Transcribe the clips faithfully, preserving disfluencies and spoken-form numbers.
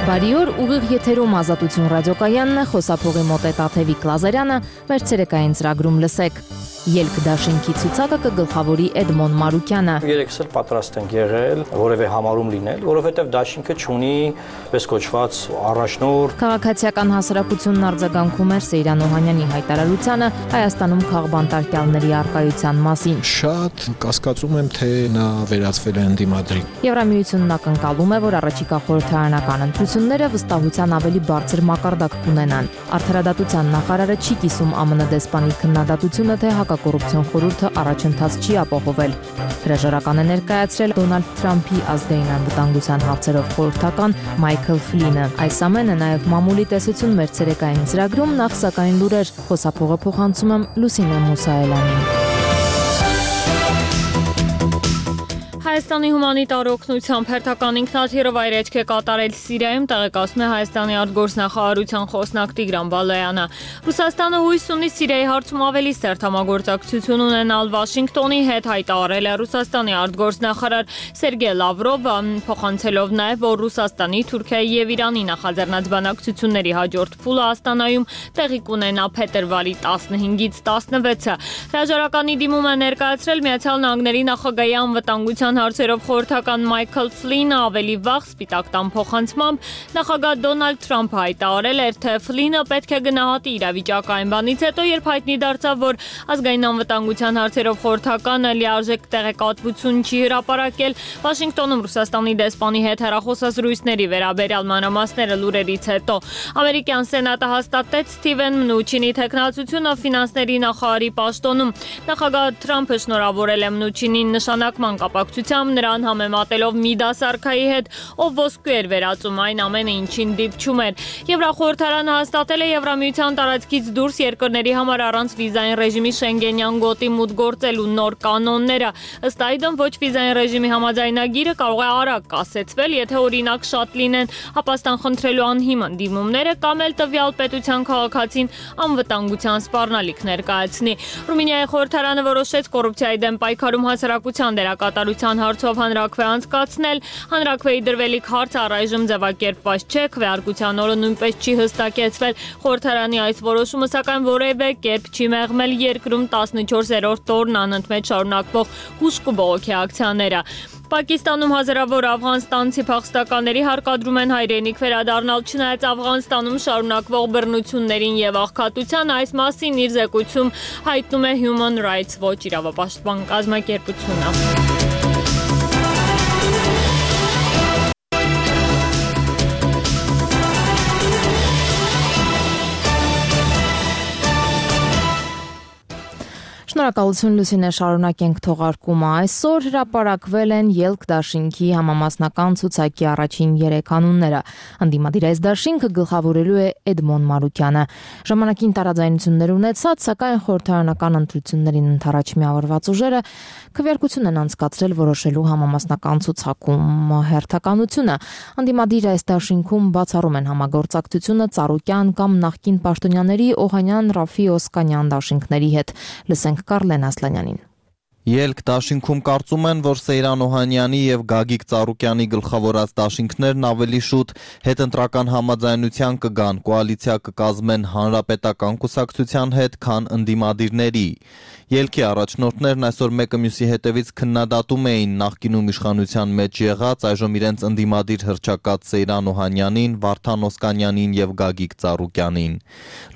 Բարի օր, ուղիղ եթերում Ազատություն ռադիոկայանն է, խոսափողի մոտ է Տաթևիկ Լազարյանը, մեր ցերեկային ծրագրում լսեք. Ելք դաշինքի ցուցակը կգլխավորի Էդմոն Մարուկյանը։ Երեքս էլ պատրաստ ենք եղել որևէ համարում լինել, որովհետև դաշինքը չունի պես կոչված առաջնորդ։ Քաղաքացիական հասարակությունն արձագանքում էր Սեյրան Օհանյանի հայտարարությանը Հայաստանում քաղբանտարկյալների առկայության մասին։ Շատ կասկածում եմ, թե նա վերածվել է ընդդիմադրի։ Եվրամիությունն ակնկալում է, որ առաջիկա խորհրդարանական ընտրությունները վստահության ավելի բարձր մակարդակ կունենան։ Արդարադատության նախարարը չի կիսում ԱՄՆ դեսպանի քննադատությունը, թե հակակոռուպցիոն խորհուրդը առաջընթաց չի ապահովել։ Հրաժարական է ներկայացրել Դոնալդ Թրամփի ազգային անվտանգության հարցերով խորհրդական Մայքլ Ֆլինը։ Այս ամենը նաև մամուլի տեսություն մեր ցերեկային ծրագրում, նախ սակայն լուրեր, խոսափողը փոխանցում եմ Լուսինե Մուսայելյանին։ Հայաստանի հումանիտար օգնությամբ հերթական ինքնաթիռը վայրէջք է կատարել Սիրիայում, տեղեկացնում է Հայաստանի արտգործնախարարության խոսնակ Տիգրան Բալայանը։ Ռուսաստանը հույս ունի Սիրիայի հարցում ավելի սերտ համագործակցություն ունենալ Վաշինգտոնի հետ, հայտարարել է Ռուսաստանի արտգործնախարար Սերգեյ Լավրովը, փոխանցելով նաև, որ Ռուսաստանի, Թուրքիայի եւ Իրանի նախաձեռնած բանակցությունների հաջորդ փուլը Աստանայում տեղի կունենա փետրվարի տասնհինգից տասնվեցը։ Հրաժարականի դիմում է ներկայացրել Միացյալ Նահանգների նախագահի անվտանգության հարցերով խորհրդական Մայքլ Ֆլինը, ավելի վաղ Սպիտակ տան փոխանցմամբ նախագահ Դոնալդ Թրամփը հայտարարել էր, թե Ֆլինը պետք է գնահատի իրավիճակը այն բանից հետո, երբ հայտնի դարձավ, որ ազգային անվտանգության հարցերով խորհրդականը լիարժեք տեղեկատվություն չի հրապարակել։ Վաշինգտոնում Ռուսաստանի դեսպանի հետ հեռախոսազրույցների վերաբերյալ մանրամասները լուրերից հետո ամերիկյան սենատը հաստատեց Սթիվեն Մնուչինի թեկնածությունը ֆինանսների նախարարի պաշտոնում։ Նախագահ Թրամփը շնորհավորել է Մնուչինին նշանակման կապակցությամբ, նրան համեմատելով մի դասարքայի հետ, ով ոսկու էր վերածում այն ամենը, ինչին դիպչում էր։ Եվրախորհրդարանը հաստատել է Եվրամիության տարածքից դուրս երկրների համար առանց վիզային ռեժիմի Շենգենյան գոտի մուտք գործելու նոր կանոնները։ Ըստ այդմ, ոչ վիզային ռեժիմի համաձայնագիրը կարող է արագ կասեցվել, եթե օրինակ շատ լինեն ապաստան խնդրելու անհիմն դիմումները կամ էլ տվյալ պետության քաղաքացին անվտանգության սպառնալիք ներկայացնի։ Ռումինիայի խորհրդարանը որոշեց կոռուպցիայի դեմ պայքարում հասարակության դերակատարության հարցով հանրաքվե անցկացնել։ Հանրաքվեի դրվելիք հարցը առայժմ ձևակերպված չէ, քվեարկության օրը նույնպես չի հստակեցվել։ Խորհրդարանի այս որոշումը սակայն որևէ կերպ չի մեղմել երկրում տասնչորսերորդ օրն անընդմեջ շարունակվող հուժ ու բողոքի ակցիաները։ Պակիստանում հազարավոր աֆղանստանցի փախստականների հարկադրում են հայրենիք վերադառնալ, չնայած Աֆղանստանում շարունակվող բռնություններին եւ աղքատության, այս մասին իր զեկույցում հայտնում է Human Rights Watch իրավապաշտպան կազմակերպությունը։ Շնորհակալություն Լուսինե, շարունակենք թողարկումը։ Այսօր հրապարակվել են Ելք դաշինքի համամասնական ցուցակի առաջին երեք անունները։ Ընդդիմադիր այս դաշինքը գլխավորելու է Էդմոն Մարուկյանը։ Ժամանակին տարաձայնություններ ունեցած, սակայն խորհրդարանական ընտրություններին ընդառաջ միավորված ուժերը քվեարկություն են անցկացրել որոշելու համամասնական ցուցակում հերթականությունը։ Ընդդիմադիր այս դաշինքում բացառում են համագործակցությունը Ծառուկյան կամ նախկին պաշտոնյաների Օհանյան, Ռաֆի, Օսկանյան դաշինքների հետ։ Լսենք Կարլեն Ասլանյանին։ Ելք դաշինքում կարծում են, որ Սեյրան Օհանյանի եւ Գագիկ Ծառուկյանի գլխավորած դաշինքներն ավելի շուտ հետընտրական համաձայնության կգան, կոալիցիա կկազմեն հանրապետական կուսակցության հետ, քան ընդդիմադիրների։ Ելքի առաջնորդներն այսօր մեկը մյուսի հետևից քննադատում էին նախկինում իշխանության մեջ եղած, այժմ իրենց ընդդիմադիր հռչակած Սեյրան Օհանյանին, Վարդան Օսկանյանին եւ Գագիկ Ծառուկյանին։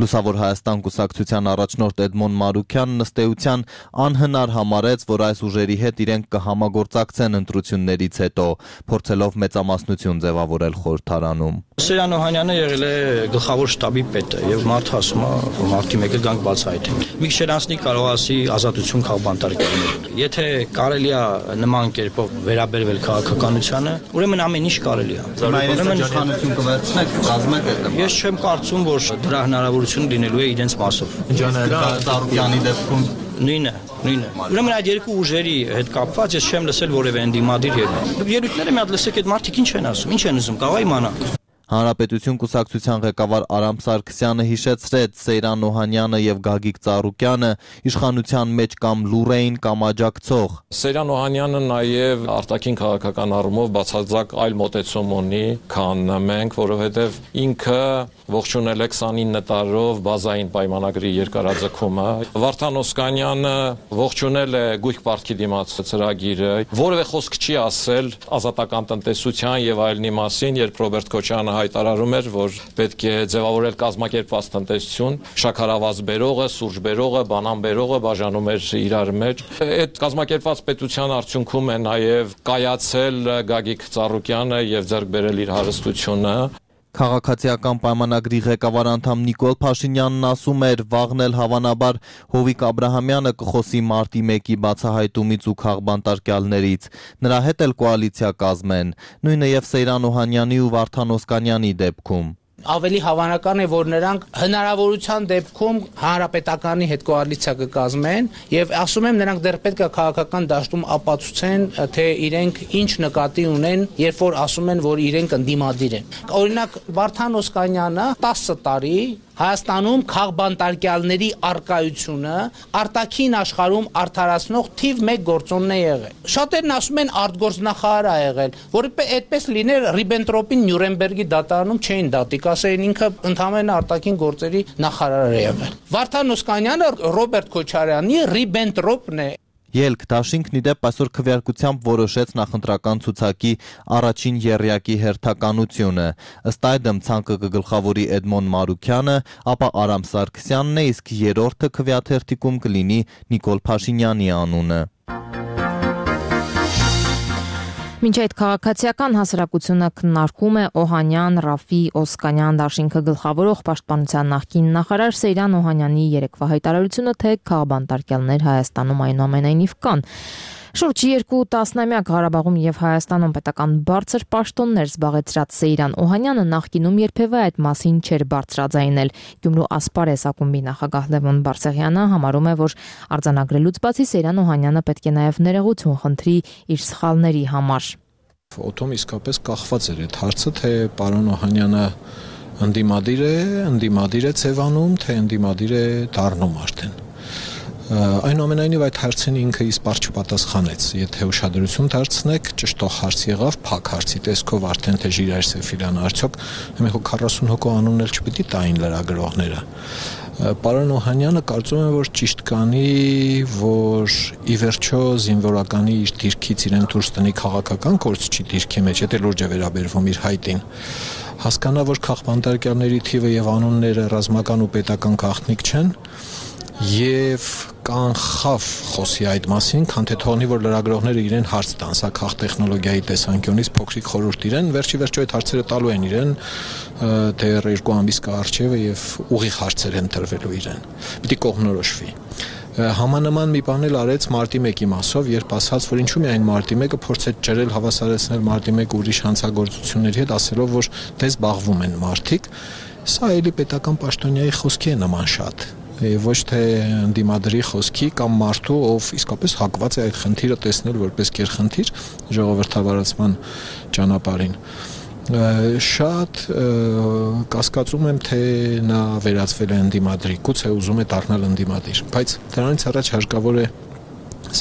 Լուսավոր Հայաստան կուսակցության առաջնորդ Էդմոն Մարուկյանն ըստ էության անհնար համարեց, որ այս ուժերի հետ իրենք կհամագործակցեն ընտրություններից հետո, փորձելով մեծամասնություն ձևավորել խորհրդարանում։ Սեյրան Օհանյանը եղել է գլխավոր շտաբի պետը եւ մարդը ասում է, որ մարտի մեկը գանք բացահայտենք։ Մի քիչ անցնի կարող ասի ազատություն քաղբանտարկյալներին։ Եթե կարելի է նման կերպով վերաբերվել քաղաքականությանը, ուրեմն ամեն ինչ կարելի է։ Ուրեմն իշխանություն կվերցնեք, կազմեք այդ։ Ես չեմ կարծում, որ դրա հնարավորություն լինելու է իրենց մասով։ Ծառուկյանի դեպքում նույնը, նույնը։ Ուրեմն այդ երկու ուժերի հետ կապված ես չեմ լսել որևէ ընդդիմադիր երգ։ Դուք ելույթները մի հատ լսեք, այդ մարդիկ ինչ են ասում, ինչ են ուզում, կարող է իմանալ։ Հանրապետություն կուսակցության ղեկավար Արամ Սարգսյանը հիշեցրեց Սեյրան Օհանյանը եւ Գագիկ Ծառուկյանը իշխանության մեջ կամ լուր էին կամ աջակցող։ Սեյրան Օհանյանը նաեւ արտաքին քաղաքական առումով բացարձակ այլ մոտեցում ունի, քան մենք, որովհետեւ ինքը ողջունել է քսանինը տարով բազային պայմանագրի երկարաձգումը։ Վարդան Օսկանյանը ողջունել է գույք պարտքի դիմաց ծրագիրը, որևէ խոսք չի ասել ազատական տնտեսության եւ այլնի մասին, երբ Ռոբերտ Քոչարյանը հայտարարում էր, որ պետք է ձևավորել կազմակերպված տնտեսություն, շաքարավազ բերողը, սուրճ բերողը, բանան բերողը բաժանում էր իրար մեջ։ Այդ կազմակերպված պետության արդյունքում է նաեւ կայացել Գագիկ Ծառուկյանը եւ ձեռք բերել իր հարստությունը։ Քաղաքացիական պայմանագրի ղեկավար անդամ Նիկոլ Փաշինյանն ասում էր, վաղն էլ հավանաբար Հովիկ Աբրահամյանը կխոսի մարտի մեկի բացահայտումից ու քաղբանտարկյալներից։ Նրա հետ էլ կոալիցիա կազմեն, նույնը եւ Սեյրան Օհանյանի ու Վարդան Օսկանյանի դեպքում։ Ավելի հավանական է, որ նրանք հնարավորության դեպքում հանրապետականի հետ կոալիցիա կկազմեն եւ ասում եմ նրանք դեռ պետք է քաղաքական դաշտում ապացուցեն, թե իրենք ինչ նկատի ունեն, երբ որ ասում են, որ իրենք ընդդիմադիր են։ Օրինակ Վարդան Օսկանյանը տասը տարի Հայաստանում քաղբանտարկյալների արկայությունը արտաքին աշխարհում արդարացնող թիվ մեկ գործոնն է եղել։ Շատերն ասում են արտգործնախարար է եղել, որը այդպես լիներ Ռիբենտրոպին Նյուրնբերգի դատարանում չէին դատի, ասեն ինքը ընդհանրապես արտաքին գործերի նախարար է եղել։ Վարդան Օսկանյանը Ռոբերտ Քոչարյանի Ռիբենտրոպն է։ Ելք դաշինքն ի դեպ այսօր քվեարկությամբ որոշեց նախընտրական ցուցակի առաջին եռյակի հերթականությունը։ Ըստ այդմ ցանկը կգլխավորի Էդմոն Մարուքյանը, ապա Արամ Սարգսյանն է, իսկ երրորդը քվեաթերթիկում կլինի Նիկոլ Փաշինյանի անունը։ Մինչ այդ քաղաքացիական հասարակությունը քննարկում է Օհանյան, Ռաֆի, Օսկանյան դաշինքը գլխավորող պաշտպանության նախկին նախարար Սեյրան Օհանյանի երեկվա հայտարարությունը, թե քաղբանտարկյալներ Հայաստանում այնուամենայնիվ կան։ Շուրջ երկու տասնամյակ Ղարաբաղում եւ Հայաստանում պետական բարձր պաշտոններ զբաղեցրած Սեյրան Օհանյանը նախկինում երբևէ այդ մասին չէր բարձրաձայնել։ Գյումրու Ասպարես ակումբի նախագահ Լևոն Բարսեղյանը համարում է, որ արձանագրելուց բացի Սեյրան Օհանյանը պետք է նաեւ ներողություն խնդրի իր սխալների համար։ Օտոմ իսկապես կախված էր այդ հարցը, թե պարոն Օհանյանը ընդդիմադիր է, ընդդիմադիր է ցևանում, թե ընդդիմադիր է դառնում արդեն։ Այնուամենայնիվ այդ հարցին ինքը իսպառ չպատասխանեց։ Եթե ուշադրություն դարձնեք, ճշտող հարց եղավ, փակ հարցի տեսքով արդեն թե Ժիրայր Սեֆիրյանը արդյոք մենք քառասուն հոգու անունն էլ չպիտի տային լրագրողները։ Պարոն Օհանյանը կարծում եմ, որ ճիշտ կանի, որ ի վերջո զինվորականի իր դիրքից իրեն դուրս տնի քաղաքական կորցչի դիրքի մեջ, եթե լուրջ է վերաբերվում իր հայտին։ Հասկանա, որ քաղբանտարկյալների թիվը եւ անունները ռազմական ու պետական գաղտնիք չեն, եւ կանխավ խոսի այդ մասին, քան թե թողնի, որ լրագրողները իրեն հարց տան, սա քաղտեխնոլոգիայի տեսանկյունից փոքրիկ խորհուրդ իրեն, վերջի վերջո այդ հարցերը տալու են իրեն դեռ երկու ամիս կառչևը եւ ուղիղ հարցեր են տրվելու իրեն։ Պիտի կողմնորոշվի։ Համանման մի բան էլ արեց մարտի մեկի մասով, երբ ասաց, որ ինչու միայն մարտի մեկը փորձեց ջրել, հավասարեցնել մարտի մեկը ուրիշ հանցագործությունների հետ, ասելով, որ դե զբաղվում են մարդիկ, սա էլի պետական պաշտոնյայի խոսքի է նման շատ։ Ոչ թե ընդդիմադրի խոսքի կամ մարդու, ով իսկապես հակված է այդ խնդիրը տեսնել որպես գերխնդիր ժողովրդավարացման ճանապարհին։ Շատ կասկածում եմ, թե նա վերածվել է ընդդիմադրի, գուցե ուզում է դառնալ ընդդիմադիր, բայց դրանից առաջ հարկավոր է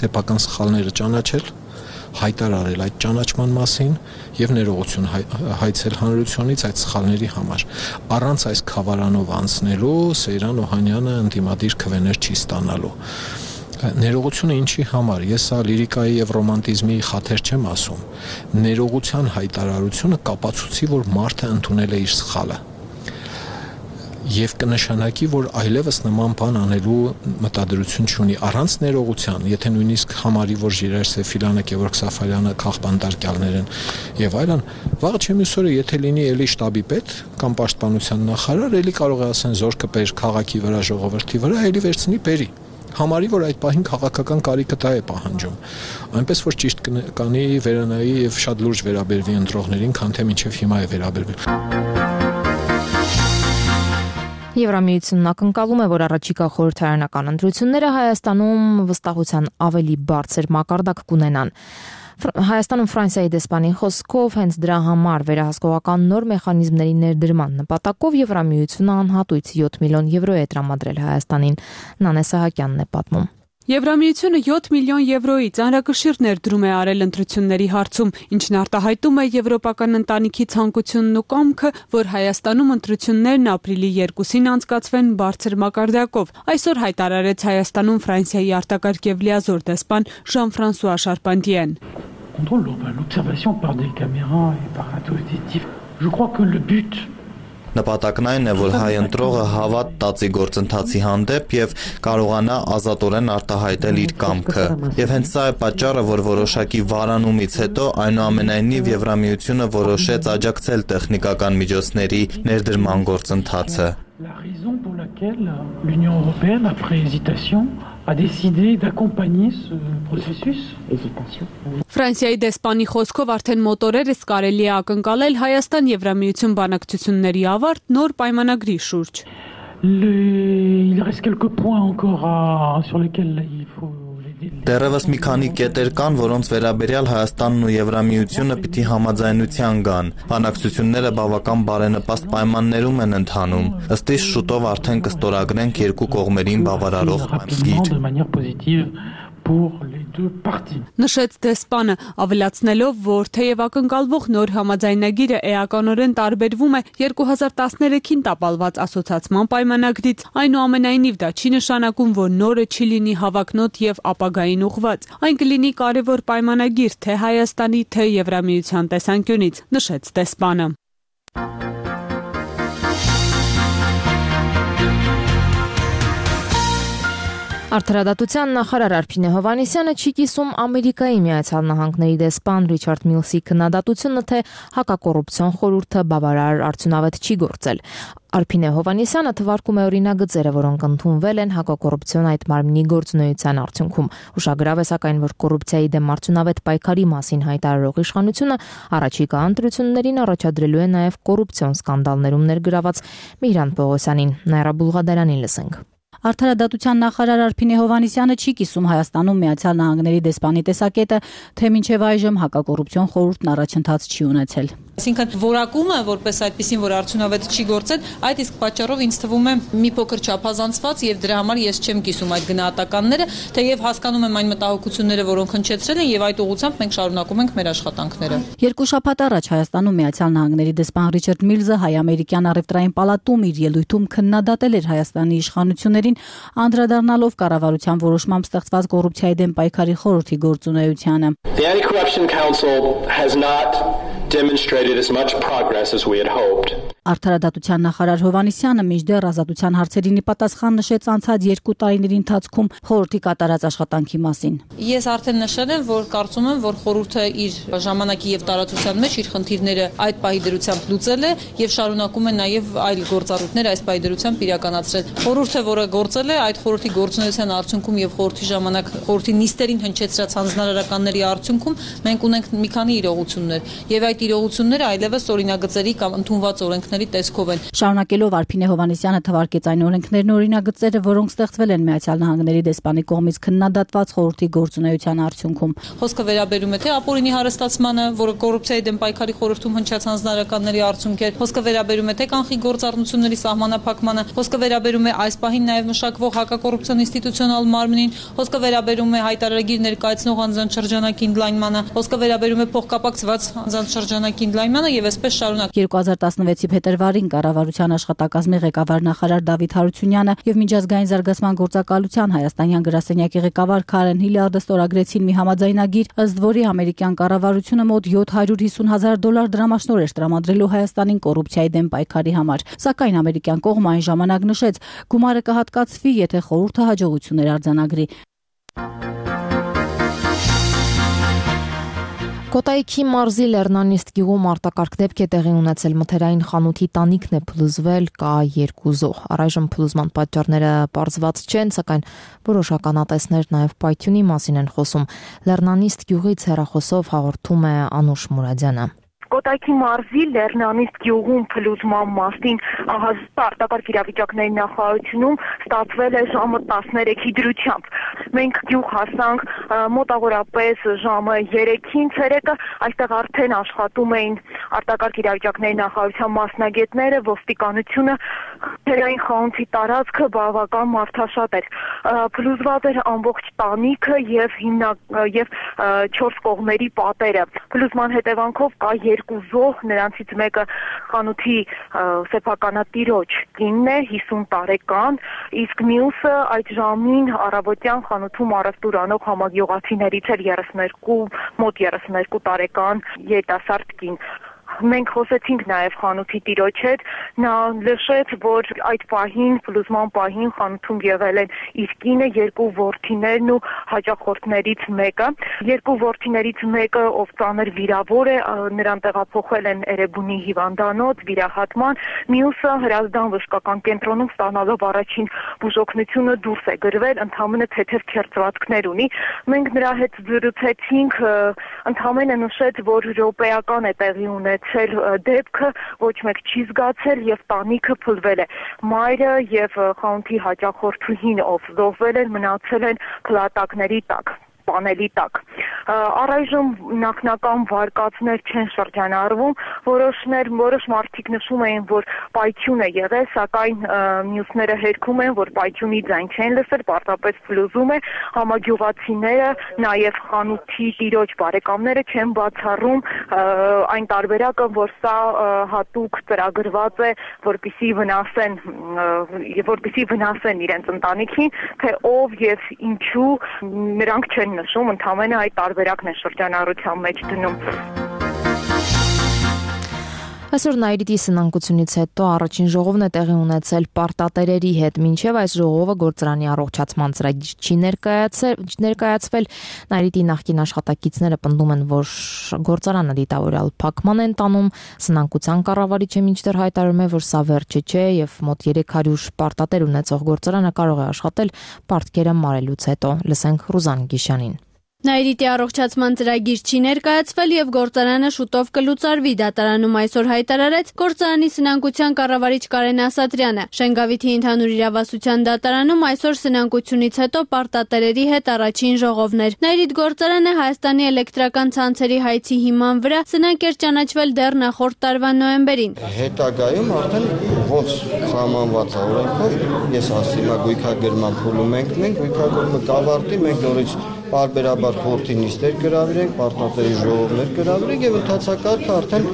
սեփական սխալները ճանաչել, հայտարարել այդ ճանաչման մասին եւ ներողություն հայցել հանրությունից այդ սխալների համար։ Առանց այս խավարանով անցնելու Սեյրան Օհանյանը ընդդիմադիր քվեներ չի ստանալու։ Ներողությունը ինչի համար, ես սա լիրիկայի եւ ռոմանտիզմի խաթեր չեմ ասում։ Ներողության հայտարարությունը կապացուցի, որ մարդը ընդունել է իր սխալը։ Եվ կնշանակի, որ այլևս նման բան անելու մտադրություն չունի առանց ներողության, եթե նույնիսկ համարի, որ Ժիրայր Սեֆիրյանը, Գևորգ Սաֆարյանը քաղբանտարկյալներ են եւ այլն, վաղը չեմ հուսորը, եթե լինի էլի շտաբի պետ կամ պաշտպանության նախարար, էլի կարող է ասեն զորքը բեր քաղաքի վրա, ժողովրդի վրա, էլի վերցնի բերի։ Համարի, որ այդ պահին քաղաքական կարիքը դա է պահանջում։ Այնպես որ ճիշտ կանի վերանայի եւ շատ լուրջ վերաբերվի ընտրողներին, քան թե մինչեւ հիմա է վերաբերվել։ Եվրամիությունն ակնկալում է, որ առաջիկա խորհրդարանական ընտրությունները Հայաստանում վստահության ավելի բարձր մակարդակ կունենան։ Հայաստանում Ֆրանսիայի դեսպանի խոսքով հենց դրա համար վերահսկողական նոր մեխանիզմների ներդրման նպատակով Եվրամիությունը անհատույց յոթ միլիոն եվրո է տրամադրել Հայաստանին։ Նանե Սահակյանն է պատմում։ Եվրամիությունը յոթ միլիոն եվրոյի ծանրակշիռ ներդրում է արել ընտրությունների հարցում, ինչն արտահայտում է եվրոպական ընտանիքի ցանկությունն ու կամքը, որ Հայաստանում ընտրություններն ապրիլի երկուսին անցկացվեն բարձր մակարդակով։ Այսօր հայտարարեց Հայաստանում Ֆրանսիայի արտակարգ եւ լիազոր դեսպան Ժան-Ֆրանսուଆ Շարպանտիեն։ Contrôle l'observation par des caméras et par un dispositif. Je crois que le but Նպատակն այն է, որ հայ ընտրողը հավատ տածի գործընթացի հանդեպ եւ կարողանա ազատորեն արտահայտել իր կամքը։ Եվ հենց սա է պատճառը, որ որոշակի վարանումից հետո այնուամենայնիվ Եվրամիությունը որոշեց աջակցել տեխնիկական միջոցների ներդրման գործընթացը։ La raison pour laquelle l'Union européenne, après hésitation, a décidé d'accompagner ce processus. Hésitation. Ֆրանսիայի դեսպանի խոսքով արդեն մոտորերս կարելի է ակնկալել Հայաստան-Եվրամիություն բանակցությունների ավարտ նոր պայմանագրի շուրջ։ Il reste quelques points encore à, sur lesquels il faut Դեռևս մի քանի կետեր կան, որոնց վերաբերյալ Հայաստանն ու Եվրամիությունը պիտի համաձայնության գան։ Բանակցությունները բավական բարենպաստ պայմաններում են ընթանում։ Ըստ իս շուտով արդեն կստորագրենք երկու կողմերին բավարարող պայմանագիր։ Նշեց դեսպանը, ավելացնելով, որ թեև ակնկալվող նոր համաձայնագիրը էականորեն տարբերվում է երկու հազար տասներեքին տապալված ասոցացման պայմանագրից, այնուամենայնիվ դա չի նշանակում, որ նորը չի լինի հավակնոտ եւ ապագային ուղղված։ Այն կլինի կարևոր պայմանագիր թե Հայաստանի, թե Եվրամիության տեսանկյունից, նշեց դեսպանը։ Արդարադատության նախարար Արփինե Հովհաննիսյանը չի կիսում Ամերիկայի Միացյալ Նահանգների դեսպան Ռիչարդ Միլսի քննադատությունը, թե հակակոռուպցիոն խորհուրդը բավարար արդյունավետ չի գործել։ Արփինե Հովհաննիսյանը թվարկում է օրինագծերը, որոնք ընդունվել են հակակոռուպցիոն այդ մարմնի գործունեության արդյունքում։ Ուշագրավ է սակայն, որ կոռուպցիայի դեմ արդյունավետ պայքարի մասին հայտարարող իշխանությունը առաջիկա ընտրություններին առաջադրելու է նաև կոռուպցիոն սկանդալներում ներգրաված Միհրան Պողոսյանին։ Նաիրա Բուլղադարյանին լսենք։ Արդարադատության նախարար Արփինե Հովհաննիսյանը չի կիսում Հայաստանում Միացյալ Նահանգների դեսպանի տեսակետը, թե մինչև այժմ հակակոռուպցիոն խորհուրդն առաջընթաց չի ունեցել։ Այսինքն որակումը, որպես այդպեսին, որ արդյունավետ չի գործել, այդ իսկ պատճառով ինձ թվում է մի փոքր չափազանցված եւ դրա համար ես չեմ կիսում այդ գնահատականները, թեև հասկանում եմ այն մտահոգությունները, որոնք հնչեցրել են եւ այդ ուղղությամբ մենք շարունակում ենք մեր աշխատանքները։ Երկու շաբաթ առաջ Հայաստանում Միացյալ Նահանգների դեսպան Ռիչարդ Միլսը հայ-ամերիկյան առևտրային պալատում իր ելույթում քննադատել էր Հայաստանի իշխանություններին, անդրադառնալով կառավարության որոշմամբ ստեղծված կոռուպցիայի դեմ պայքարի խորհրդի գործունեությանը։ The Anti-Corruption Council has not demonstrated as much progress as we had hoped. Արդարադատության նախարար Հովհաննիսյանը մինչդեռ ազատության հարցերին պատասխան նշեց անցած երկու տարիների ընթացքում խորհրդի կատարած աշխատանքի մասին։ Ես արդեն նշել եմ, որ կարծում եմ, որ խորհուրդը իր ժամանակի եւ տարածության մեջ իր խնդիրները այդ պահի դրությամբ լուծել է եւ շարունակում է նաեւ այլ գործառույթներ այս պահի դրությամբ իրականացրել։ Խորհուրդը, որը գործել է, այդ խորհրդի գործունեության արդյունքում եւ խորհրդի ժամանակ խորհրդի նիստերին հնչեցրած հանձնարարականների արդյունքում մենք ունենք մի քանի իրողություններ եւ այդ իրողությունները այլևս օրինագծերի կամ ընդունված օրենքների տեսքով են։ Շարունակելով Արփինե Հովհաննիսյանը թվարկեց այն օրենքներն ու օրինագծերը, որոնք ստեղծվել են Միացյալ Նահանգների դեսպանի կողմից քննադատված խորհրդի գործունեության արդյունքում։ Խոսքը վերաբերում է թե ապօրինի հարստացմանը, որը կոռուպցիայի դեմ պայքարի խորհրդում հնչած հանձնարարականների արդյունք է, խոսքը վերաբերում է թե կանխիկ գործառնությունների սահմանափակմանը, խոսքը վերաբերում է այս պահին նաև մշակվող հակակոռուպցիոն ինստիտուցիոնալ մարմնին, խոսքը վերաբերում է հայտարարագիր ներկայացնող անձանց շրջանակի ընդլայնմանը, խոսքը վերաբերում է փոխկապակցված անձանց շրջանակի ընդլայնմանը եւ այսպես շարունակ։ երկու հազար տասնվեցի փետրվարին կառավարության աշխատակազմի ղեկավար նախարար Դավիթ Հարությունյանը եւ միջազգային զարգացման գործակալության հայաստանյան գրասենյակի ղեկավար Քարեն Հիլարդը ստորագրեցին մի համաձայնագիր, ըստ որի ամերիկյան կառավարությունը մոտ յոթ հարյուր հիսուն հազար դոլար դրամաշնորհ տրամադրելու Հայաստանին կոռուպցիայի դեմ պայքարի համար։ Սակայն ամերիկյան կողմը այն ժամանակ նշեց, գումարը կհատկացվի, եթե խորհուրդը հաջողություններ արձանագրի։ Կոտայքի մարզի Լեռնանիստ գյուղում արտակարգ դեպք է տեղի ունեցել, մթերային խանութի տանիքն է փլուզվել, կա երկու զոհ։ Առայժմ փլուզման պատճառները պարզված չեն, սակայն որոշ ականատեսներ նաև պայթյունի մասին են խոսում։ Լեռնանիստ գյուղից հեռախոսով հաղորդում է Անուշ Մուրադյանը։ Կոտայքի մարզի Լեռնանիստ գյուղում փլուզման մասին արտակարգ իրավիճակների նախարարությունում ստացվել է ժամը տասներեքի դրությամբ։ Մենք գյուղ հասանք մոտավորապես ժամը երեքին ցերեկը, այստեղ արդեն աշխատում էին արտակարգ իրավիճակների նախարարության մասնագետները, ոստիկանությունը, թերային խանութի տարածքը բավական մարդաշատ էր։ Փլուզված էր ամբողջ տանիքը եւ հիմնակ եւ չորս կողմերի պատերը։ Փլուզման հետևանքով կա երկու զոհ, նրանցից մեկը խանութի սեփականատիրոջ կինն է, հիսուն տարեկան, իսկ մյուսը այդ ժամին առավոտյան խանութում առևտուր անող համագյուղացիներից էր երեսներկու, մոտ երեսներկու տարեկան երիտասարդ կին։ Մենք խոսեցինք նաև խանութի տիրոջ հետ, նա նշեց, որ այդ պահին, փլուզման պահին խանութում եղել են իր կինը, երկու որդիներն ու հաճախորդներից մեկը։ Երկու որդիներից մեկը, ով ծանր վիրավոր է, նրան տեղափոխել են Էրեբունի հիվանդանոց վիրահատման, մյուսը Հրազդան բժշկական կենտրոնում ստանալով առաջին բուժօգնությունը դուրս է գրվել, ընդհանրապես թեթև քերծվածքներ ունի։ Մենք նրա հետ զրուցեցինք, ընդհանրապես նշեց, որ րոպեական է տեղի ունեցել դեպքը, ոչ մեկ չի զգացել եւ տանիքը փլվել է։ Մայրը եւ խանութի հաճախորդուհին, ով զոհվել են, մնացել են փլատակների տակ, պանելի տակ։ Առայժմ նախնական վարկածներ չեն շրջանառվում, որոշներ, որոշ մարդիկ նշում էին, որ պայթյուն է եղել, սակայն մյուսները հերքում են, որ պայթյունի ձայն չեն լսել, պարզապես փլուզում է։ Համագյուղացիները, նաև խանութի տիրոջ բարեկամները չեն բացառում այն տարբերակը, որ սա հատուկ ծրագրված է, որպեսզի վնասեն, որպեսզի վնասեն իրենց ընտանիքին, թե ով եւ ինչու նրանք չեն նշում, ընդհանրապես այդ տարբերակն է շրջանառության մեջ դնում։ Այսօր Նայիրիտի սնանկությունից հետո առաջին ժողովն է տեղի ունեցել պարտատերերի հետ, մինչև այս ժողովը գործարանի առողջացման ծրագիր չի ներկայացվել։ Նայիրիտի նախկին աշխատակիցները պնդում են, որ գործարանը դիտավորյալ փակման են տանում, սնանկության կառավարիչը մինչդեռ հայտարարում է, որ սա վերջը չէ եւ մոտ երեք հարյուր պարտատեր ունեցող գործարանը կարող է աշխատել պարտքերը մարելուց հետո։ Լսենք Ռուզան Գիշյանին։ Նայիրիտի առողջացման ծրագիր չի ներկայացվել եւ գործարանը շուտով կլուծարվի, դատարանում այսօր հայտարարեց գործարանի սնանկության կառավարիչ Կարեն Ասատրյանը։ Շենգավիթի ընդհանուր իրավասության դատարանում այսօր սնանկությունից հետո պարտատերերի հետ առաջին ժողովն էր։ Նայիրիտ գործարանը Հայաստանի էլեկտրական ցանցերի հայցի հիման վրա սնանկ էր ճանաչվել դեռ նախորդ տարվա նոյեմբերին։ Հետագայում արդեն ոնց սահմանված է օրենքով, ես ասում եմ գույքագրման փուլում ենք, մենք գույքագրումը կավարտի, մենք նորից պարբերաբար խորհրդի նիստեր կրավիրենք, պարտատերի ժողովներ կրավիրենք եւ ընդհանրակարգը արդեն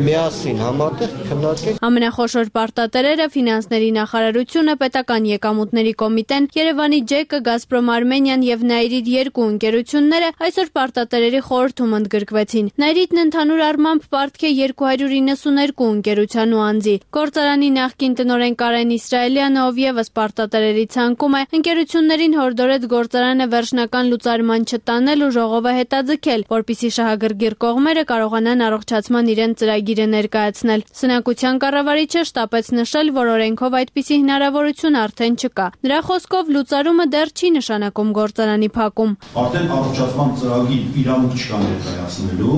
միասին համատեղ քննարկենք։ Ամենախոշոր պարտատերերը ֆինանսների նախարարությունը, պետական եկամուտների կոմիտեն, Երևանի ջեկը, Գազպրոմ Արմենիան եւ Նայիրիտ երկու ընկերությունները այսօր պարտատերերի խորհրդում ընդգրկվեցին։ Նայիրիտն ընդհանուր առմամբ պարտք է երկու հարյուր իննսուներկու ընկերության ու անձի։ Գործարանի նախկին տնօրեն Կարեն Իսրայելյանը, ով եւս պարտատերերի ցանկում է, ընկերություններին հորդորեց գործարանը վերջնական լուծարման չտանել ու ժողովը հետաձգել, որպիսի շահագրգիռ կողմերը կարողանան առողջացման իրենց ծրագիրը ներկայացնել։ Սնանկության կառավարիչը շտապեց նշել, որ օրենքով այդպիսի հնարավորություն արդեն չկա։ Նրա խոսքով լուծարումը դեռ չի նշանակում գործարանի փակում։ Արդեն առողջացման ծրագիր իրավունք չկա ներկայացնելու,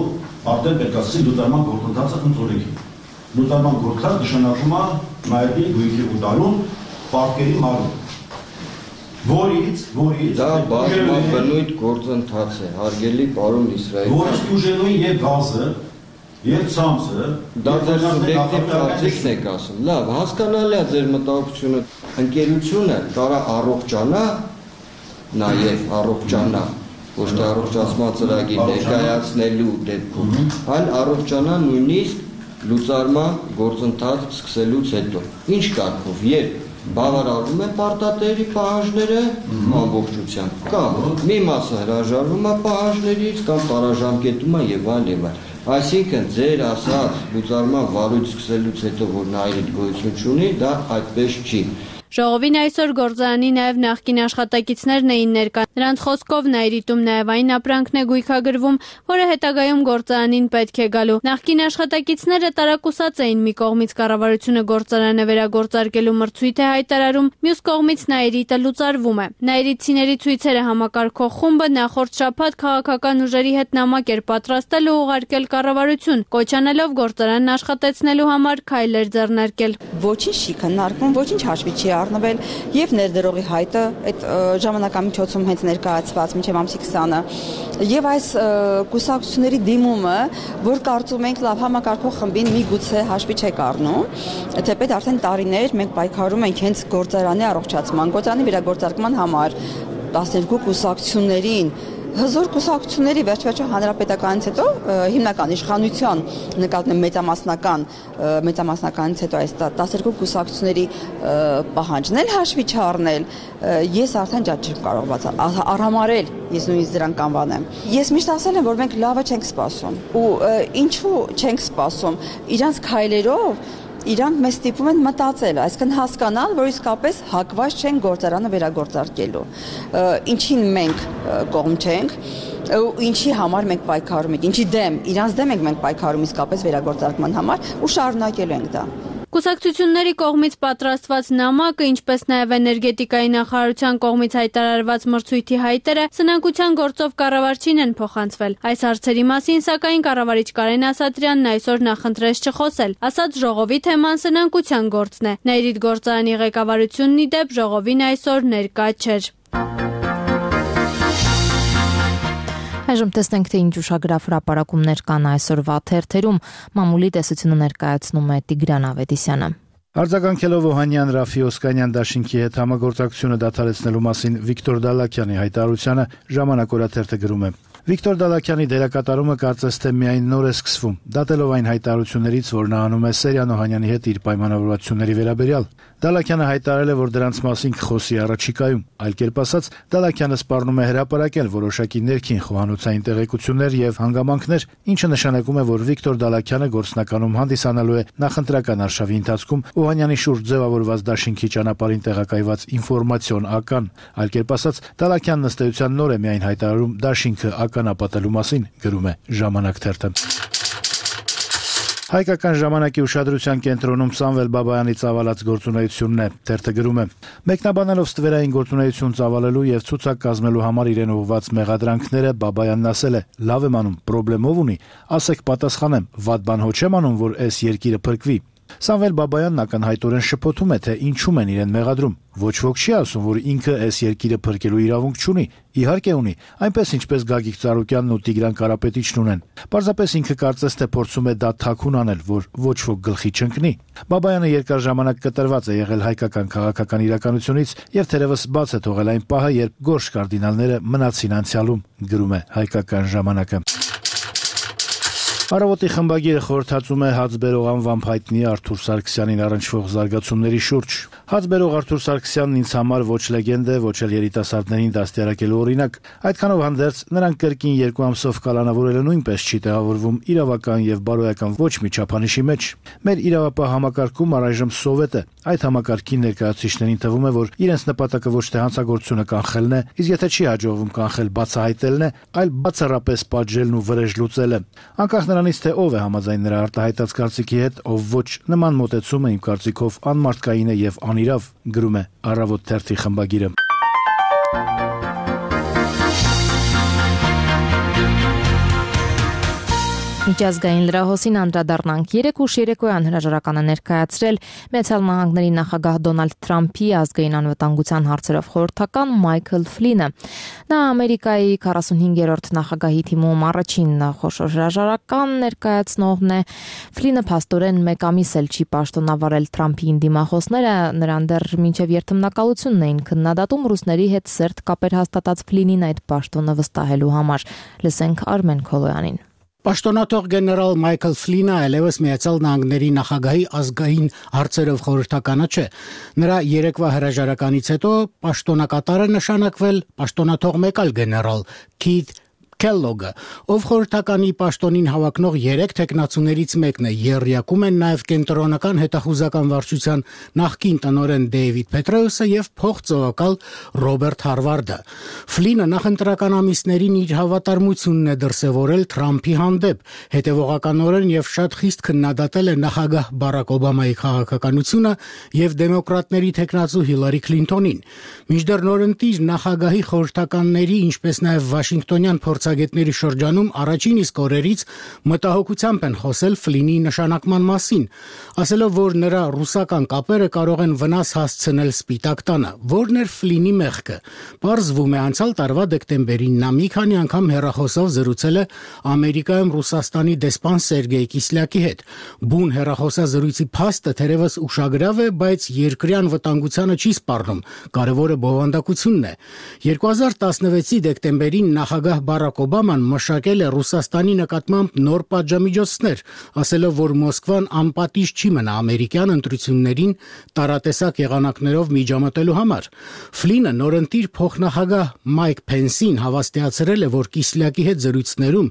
արդեն պետք է ասել լուծարման գործընթացը ընտրեք։ Լուծարման գործընթացը նշանակում է Նայիրիտի գույքի ուտարում պարտքերի մարում։ Որից, որից դա բազմաբնույթ գործընթաց է, հարգելի պարոն Իսրայելյան։ Որից ուժելույն եւ գազը եւ ցամցը, դա ձեր սուբյեկտիվ կարծիքն եք ասում։ Լավ, հասկանալի է ձեր մտահոգությունը։ Ընկերությունը կարա առողջանա, նաեւ առողջանա, ոչ թե առողջացման ծրագիր ներկայացնելու դեպքում, այլ առողջանա նույնիսկ լուծարման գործընթաց սկսելուց հետո։ Ինչ կարգով, երբ բավարարվում են պարտատերի պահանջները ամբողջությամբ, կամ մի մասը հրաժարվում է պահանջներից, կամ տարաժամկետում է եւ այլ եւ այլ։ Այսինքն ձեր ասած լուծարման վարույթ սկսելուց հետո, որ Նայիրիտ գոյություն չունի, դա այդպես չի։ Ժողովին այսօր գործարանի նաև նախկին աշխատակիցներն էին ներկա։ Նրանց խոսքով Նայիրիտում նաև այն ապրանքն է գույքագրվում, որը հետագայում գործարանին պետք է գալու։ Նախկին աշխատակիցները տարակուսած էին մի կողմից կառավարությունը գործարանը վերագործարկելու մրցույթ է հայտարարում, մյուս կողմից Նայիրիտը լուծարվում է։ Նայիրիտցիների ցույցերը համակարգող խումբը նախորդ շաբաթ քաղաքական ուժերի հետ նամակ էր պատրաստել ու ուղարկել կառավարություն, կոչ անելով գործարանն աշխատեցնելու համար քայլեր ձեռնարկել։ Ոչինչ չի քննարկվում, ոչինչ հաշվի չի առնվել եւ ներդրողի հայտը այդ ժամանակամիջոցում հենց ներկայացված մինչեւ ամսի քսանը եւ այս կուսակցությունների դիմումը, որ կարծում ենք լավ համակարգող խմբին միգուցե հաշվի չեք առնում, թեպետ արդեն տարիներ մենք պայքարում ենք հենց գործարանի առողջացման, գործարանի վերագործարկման համար տասներկու կուսակցություններին հզոր կուսակցությունների վերջ-վերջը հանրապետականից հետո հիմնական իշխանության նկատմամբ մեծամասնական մեծամասնականից հետո այս տասներկու կուսակցությունների պահանջն էլ հաշվի չառնել, ես արդեն ճաճ չեմ կարող արհամարել, ես նույնիսկ դրան կանվանեմ։ Ես միշտ ասել եմ, որ մենք լավը չենք սպասում ու ինչու չենք սպասում, իրանց քայլերով իրանք մեզ ստիպում են մտածել, այսինքն հասկանալ, որ իսկապես հակված չեն գործարանը վերագործարկելու, ինչին մենք կողմ չենք, ինչի համար մենք պայքարում ենք, ինչի դեմ, իրանց դեմ ենք մենք պայքարում իսկապես վերագործարկման համար ու շարունակելու ենք դա։ Կուսակցությունների կողմից պատրաստված նամակը, ինչպես նաև էներգետիկայի նախարարության կողմից հայտարարված մրցույթի հայտերը սնանկության գործով կառավարչին են փոխանցվել։ Այս հարցերի մասին սակայն կառավարիչ Կարեն Ասատրյանն այսօր նախընտրեց չխոսել, ասաց ժողովի թեման սնանկության գործն է։ Նայիրիտ գործարանի ղեկավարությունն ի դեպ ժողովին այսօր ներկա չէր։ Այժմ տեսնենք, թե ինչ ուշագրավ հրապարակումներ կան այսօրվա թերթերում։ Մամուլի տեսությունը ներկայացնում է Տիգրան Ավետիսյանը։ Արձագանքելով Օհանյան Ռաֆի Օսկանյան դաշինքի հետ համագործակցությունը դադարեցնելու մասին Վիկտոր Դալակյանի հայտարարությանը Ժամանակ օրաթերթը գրում է. Վիկտոր Դալակյանի դերակատարումը կարծես թե միայն նոր է սկսվում, դատելով այն հայտարարություններից, որ նա անում է Սերյան Օհանյանի հետ իր պայմանավորվածությունների վերաբերյալ։ Դալակյանը հայտարարել է, որ դրանց մասին կխոսի առաջիկայում, այլ կերպ ասած, Դալակյանը սպառնում է հրապարակել որոշակի ներքին խոհանոցային տեղեկություններ եւ հանգամանքներ, ինչը նշանակում է, որ Վիկտոր Դալակյանը գործնականում հանդիսանալու է նախընտրական արշավի ընթացքում Օհանյանի շուրջ ձևավորված դաշինքի ճանապարհին տեղակայված ինֆորմացիոն ական, այլ կերպ ասած, Դալակյանն ըստ էության նոր է միայն հայտարարում դաշինքը ականապատելու մասին, գրում է Ժամանակ թերթը։ Հայկական ժամանակի ուշադրության կենտրոնում Սամվել Բաբայանի ծավալած գործունեությունն է, թերթը գրում է. Մեկնաբանելով ստվերային գործունեություն ծավալելու եւ ցուցակ կազմելու համար իրեն ուղղված մեղադրանքները Բաբայանն ասել է. «Լավ եմ անում, պրոբլեմով ունի, ասեք պատասխանեմ, վատ բան հո չեմ անում, որ այս երկիրը փրկվի»։ Սամվել Բաբայանն ակնհայտորեն շփոթում է, թե ինչու են իրեն մեղադրում։ Ոչ ոք չի ասում, որ ինքը այս երկիրը փրկելու իրավունք չունի։ Իհարկե ունի, այնպես ինչպես Գագիկ Ծառուկյանն ու Տիգրան Կարապետիչն ունեն։ Պարզապես ինքը կարծես թե փորձում է դա թաքուն անել, որ ոչ ոք գլխի չընկնի։ Բաբայանը երկար ժամանակ կտրված է եղել հայկական քաղաքական իրականությունից եւ թերևս բաց է թողել այն պահը, երբ գորշ կարդինալները մնացին անցյալում, գրում է Հայկական ժամանակը։ Առավոտի խմբագիրը խորհրդածում է հացբերող անվամբ հայտնի Արթուր Սարգսյանին առնչվող զարգացումների շուրջ։ Հացբերող Արթուր Սարգսյանն ինձ համար ոչ լեգենդ է, ոչ էլ երիտասարդներին դաստիարակելու օրինակ։ Այդքանով հանդերձ նրանք կրկին երկու ամսով կալանավորելը նույնպես չի տեղավորվում իրավական եւ բարոյական ոչ մի չափանիշի մեջ։ Մեր իրավապահ համակարգում առայժմ սովետ է։ Այդ համակարգի ներկայացուցիչներին թվում է, որ իրենց նպատակը ոչ թե հանցագործությունը կանխելն է, իսկ եթե չի հաջողվում կանխել բացահայտելն է, այլ բացառապես պատժելն ու վրեժ լուծելը։ Անկախ նրանից, թե ով է համաձայն նրա արտահայտած կարծիքի հետ, ով ոչ, նման մոտեցումը իմ կարծիքով անմարդկային է եւ անիրավ, գրում է Առավոտ թերթի խմբագիրը։ Միջազգային լրահոսին անդրադառնանք երեք ուշ երեկոյան հրաժարականը ներկայացրել Միացյալ Նահանգների նախագահ Դոնալդ Թրամփի ազգային անվտանգության հարցերով խորհրդական Մայքլ Ֆլինը։ Նա Ամերիկայի քառասունհինգերորդ նախագահի թիմում առաջին խոշոր հրաժարական ներկայացնողն է։ Ֆլինը փաստորեն մեկ ամիս էլ չի պաշտոնավարել Թրամփի դիմախոսները, նրան դեռ մինչև երթմնակալությունն էին քննադատում ռուսների հետ սերտ կապեր հաստատած Ֆլինին այդ պաշտոնը վստահելու համար։ Լսենք Արմեն Քոլոյանին։ Պաշտոնաթող գեներալ Մայքլ Ֆլինը այլևս Միացյալ Նահանգների նախագահի ազգային հարցերով խորհրդականը չէ։ Նրա երեկվա հրաժարականից հետո պաշտոնակատարը նշանակվել պաշտոնաթող մեկ այլ գեներալ Քիթ Kellogg-ը, ով խորհրդականի պաշտոնին հավակնող երեք տեխնացուներից մեկն է, եռյակում են նաև կենտրոնական հետախուզական վարչության նախկին տնօրեն Դեյվիդ Պետրեուսը եւ փոխծովակալ Ռոբերտ Հարվարդը։ Ֆլինը նախընտրական ամիսներին իր հավատարմությունն է դրսևորել Թրամփի հանդեպ, հետևողականորեն եւ շատ խիստ քննադատել է նախագահ Բարակ Օբամայի քաղաքականությունը եւ դեմոկրատների տեխնացու Հիլարի Քլինթոնին։ Մինչդեռ նորընտիր նախագահի խորհրդականների, ինչպես նաև Վաշինգտոնյան փորձագետների շրջանում առաջին իսկ օրերից մտահոգությամբ են խոսել Ֆլինի նշանակման մասին, ասելով, որ նրա ռուսական կապերը կարող են վնաս հասցնել Սպիտակ տանը։ Որն էր Ֆլինի մեղքը։ Պարզվում է, անցյալ տարվա դեկտեմբերին նա մի քանի անգամ հեռախոսով զրուցել է Ամերիկայում Ռուսաստանի դեսպան Սերգեյ Կիսլյակի հետ։ Բուն հեռախոսազրույցի փաստը թերևս ուշագրավ է, բայց երկրի անվտանգությանը չի սպառնում։ Կարևորը բովանդակությունն է։ երկու հազար տասնվեցի դեկտեմբերին նախագահ Բարակ Օբաման մշակել է Ռուսաստանի նկատմամբ նոր պատժամիջոցներ, ասելով, որ Մոսկվան անպատիժ չի մնա ամերիկյան ընտրություններին տարատեսակ եղանակներով միջամտելու համար։ Ֆլինը նորընտիր փոխնախագահ Մայք Փենսին հավաստիացրել է, որ Կիսլյակի հետ զրույցներում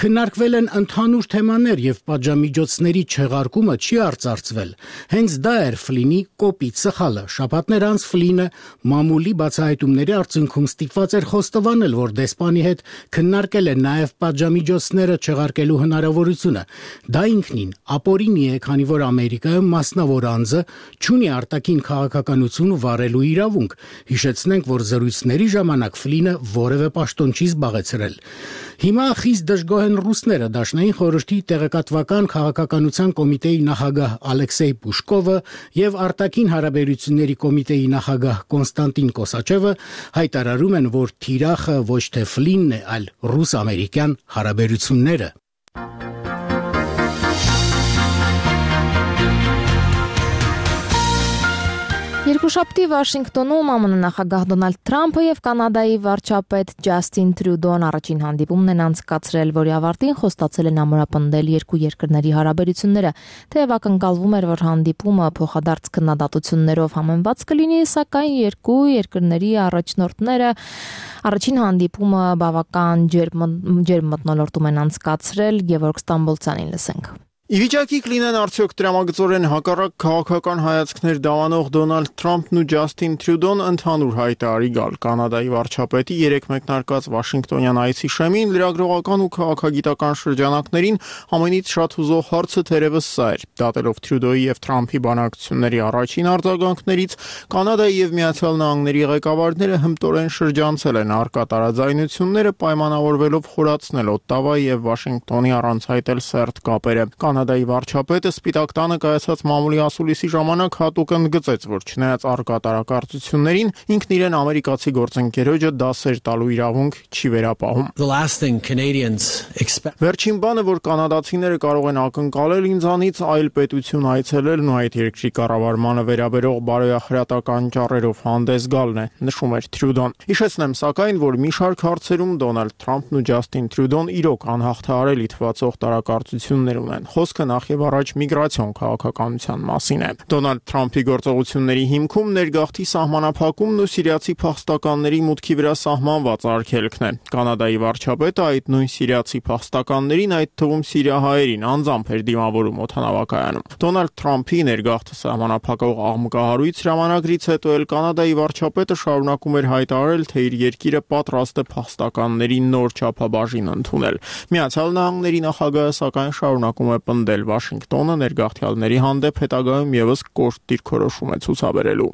քննարկվել են ընդհանուր թեմաներ եւ պատժամիջոցների չեղարկումը չի արծարծվել։ Հենց դա էր Ֆլինի կոպիտ սխալը։ Շաբաթներ անց Ֆլինը մամուլի բացահայտումների արդյունքում ստիպված էր խոստովանել, որ դեսպանի հետ քննարկել է նաև պատժամիջոցները չեղարկելու հնարավորությունը։ Դա ինքնին ապօրինի է, քանի որ Ամերիկայում մասնավոր անձը չունի արտաքին քաղաքականություն վարելու իրավունք։ Հիշեցնենք, որ զրույցների ժամանակ Ֆլինը որևէ պաշտոն չի զբաղեցրել։ Հիմա խիստ դժգոհ են ռուսները։ Դաշնային խորհրդի տեղեկատվական քաղաքականության կոմիտեի նախագահ Ալեքսեյ Պուշկովը եւ արտաքին հարաբերությունների կոմիտեի նախագահ Կոնստանտին Կոսաչևը հայտարարում են, որ թիրախը ոչ թե Ֆլինն է, այլ ռուս-ամերիկյան հարաբերությունները։ Երկուշաբթի Վաշինգտոնում ԱՄՆ նախագահ Դոնալդ Թրամփը եւ Կանադայի վարչապետ Ջասթին Տրյուդոն առաջին հանդիպումն են անցկացրել, որի ավարտին խոստացել են ամրապնդել երկու երկրների հարաբերությունները։ Թեև ակնկալվում էր, որ հանդիպումը փոխադարձ քննադատություններով համեմված կլինի, սակայն երկու երկրների առաջնորդները առաջին հանդիպումը բավական ջերմ մթնոլորտում են անցկացրել։ Գևորգ Ստամբոլցյանին լսենք։ Ի վիճակի կլինեն արդյոք տրամագծորեն հակառակ քաղաքական հայացքներ դավանող Դոնալդ Թրամփն ու Ջասթին Տրյուդոն ընդհանուր հայտարարի գալ Կանադայի վարչապետի երեք մեկնարկած Վաշինգտոնյան այցի շեմին լրագրողական ու քաղաքագիտական շրջանակներին ամենից շատ հուզող հարցը թերևս սա էր։ Դատելով Տրյուդոյի եւ Թրամփի բանակցությունների առաջին արձագանքներից Կանադայի եւ Միացյալ Նահանգների ղեկավարները հմտորեն շրջանցել են առկա տարաձայնությունները, պայմանավորվելով խորացնել Օտտավայի եւ Վաշինգտոնի առանց հայտել սերտ կապերը։ Կանադայի վարչապետը Սպիտակ տանը կայացած մամուլի ասուլիսի ժամանակ հատուկ ընդգծեց, որ չնայած առկա տարակարծություններին, ինքն իրեն ամերիկացի գործընկերոջը դասեր տալու իրավունք չի վերապահում։ Վերջին բանը, որ կանադացիները կարող են ակնկալել ինձանից, այլ պետություն այցելելն ու այդ երկրի կառավարմանը վերաբերող բարոյախրատական ճառերով հանդես գալն է, նշում էր Տրյուդոն։ Հիշեցնեմ սակայն, որ մի շարք հարցերում Դոնալդ Թրամփն ու Ջասթին Տրյուդոն իրոք անհաղթահարելի թվացող տարակարծություններ ունեն։ Խոսքը նախ եւ առաջ միգրացիոն քաղաքականության մասին է։ Դոնալդ Թրամփի գործողությունների հիմքում ներգաղթի սահմանափակումն ու սիրիացի փախստականների մուտքի վրա սահմանված արգելքն է։ Կանադայի վարչապետը այդ նույն սիրիացի փախստականներին, այդ թվում սիրիահայերին, անձամբ էր դիմավորում օդանավակայանում։ Դոնալդ Թրամփի ներգաղթը սահմանափակող աղմկահարույց հրամանագրից հետո էլ Կանադայի վարչապետը շարունակում էր հայտարարել, թե իր երկիրը պատրաստ է փախստականների նոր չափաբաժին ընդունել։ Միացյալ Նահանգների նախագահը սակայն շարունակում է պնդել Վաշինգտոնը ներգաղթյալների հանդեպ հետագայում եւս կոշտ դիրքորոշում է ցուցաբերելու։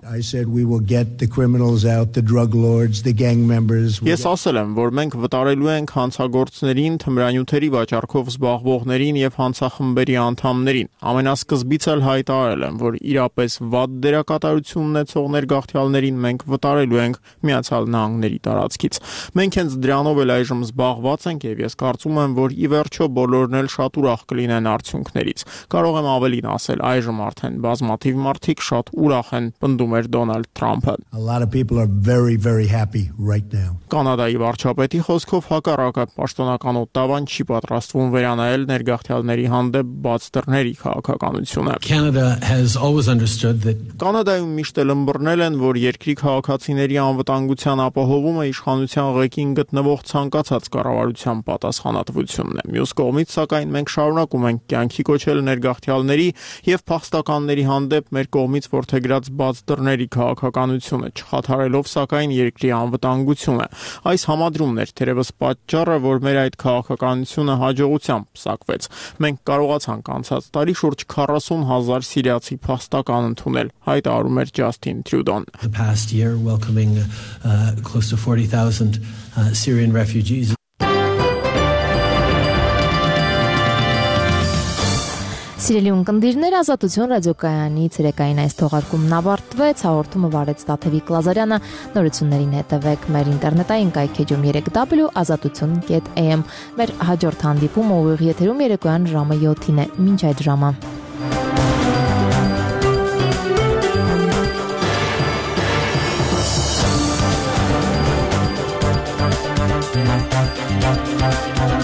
Ես ասել եմ, որ մենք վտարելու ենք հանցագործներին, թմրանյութերի վաճառքով զբաղվողներին եւ հանցախմբերի անդամներին։ Ամենասկզբից էլ հայտարարել եմ, որ իրապես վատ դերակատարություն ունեցող ներգաղթյալներին մենք վտարելու ենք Միացյալ Նահանգների տարածքից։ Մենք հենց դրանով էլ այժմ զբաղված ենք եւ ես կարծում եմ, որ ի վերջո բոլորն էլ շատ ուրախ կլինեն արդյունքներից։ Կարող եմ ավելին ասել, այժմ արդեն բազմաթիվ մարդիկ շատ ուրախ են, պնդում էր Դոնալդ Թրամփը։ A lot of people are very very happy right now. Կանադայի վարչապետի խոսքով հակառակը պաշտոնական Օտտավան չի պատրաստվում վերանայել ներգաղթյալների հանդեպ բաց դռների քաղաքականությունը։ Canada has always understood that Կանադայում միշտ էլ ըմբռնել են, որ երկրի քաղաքացիների անվտանգության ապահովումը իշխանության ղեկին գտնվող ցանկացած կառավարության պատասխանատվությունն է։ Մյուս կողմից, սակայն, մենք շարունակում ենք կյանքի կոչել ներգաղթյալների եւ փախստականների հանդեպ մեր կողմից որդեգրած բաց դռների քաղաքականությունը, չխաթարելով սակայն երկրի անվտանգությունը։ Այս համադրումն էր թերևս պատճառը, որ մեր այդ քաղաքականությունը հաջողությամբ պսակվեց։ Մենք կարողացանք անցած տարի շուրջ քառասուն հազար սիրիացի փախստական ընդունել, հայտարարում էր Ջասթին Տրյուդոն։ the past year welcoming uh, close to forty thousand uh, Syrian refugees. Սիրելի ունկնդիրներ, Ազատություն ռադիոկայանի ցերեկային այս թողարկումն ավարտվեց, հաղորդումը վարեց Տաթևիկ Լազարյանը, նորություններին հետևեք մեր ինտերնետային կայքեջում երեք w ազատություն կետ a m, մեր հաջորդ հանդիպումը ուղիղ եթերում երեկոյան ժամը յոթին է, մինչ այդ ժամը։ Thank you.